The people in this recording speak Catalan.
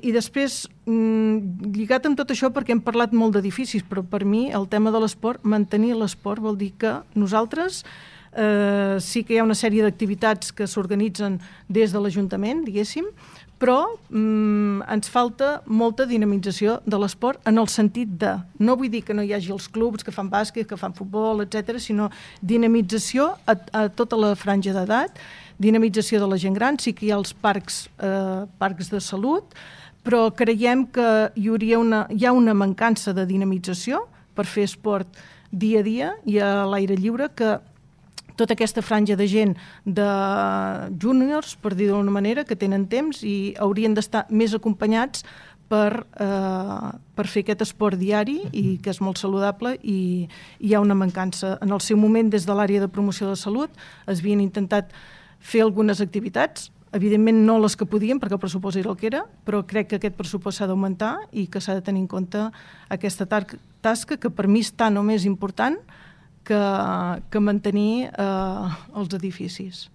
I després, lligat amb tot això, perquè hem parlat molt d'edificis, però per mi el tema de l'esport, mantenir l'esport vol dir que nosaltres sí que hi ha una sèrie d'activitats que s'organitzen des de l'Ajuntament, diguéssim, però ens falta molta dinamització de l'esport en el sentit de, no vull dir que no hi hagi els clubs que fan bàsquet, que fan futbol, etc., sinó dinamització a tota la franja d'edat, dinamització de la gent gran, sí que hi ha els parcs de salut, però creiem que hi ha una mancança de dinamització per fer esport dia a dia i a l'aire lliure, que tota aquesta franja de gent de júniors, per dir d'una manera, que tenen temps i haurien d'estar més acompanyats per fer aquest esport diari i que és molt saludable, i hi ha una mancança. En el seu moment, des de l'àrea de promoció de salut, es havien intentat fer algunes activitats, evidentment no les que podíem perquè el pressupost era el que era, però crec que aquest pressupost s'ha d'augmentar i que s'ha de tenir en compte aquesta tasca que per mi està no més important que mantenir els edificis.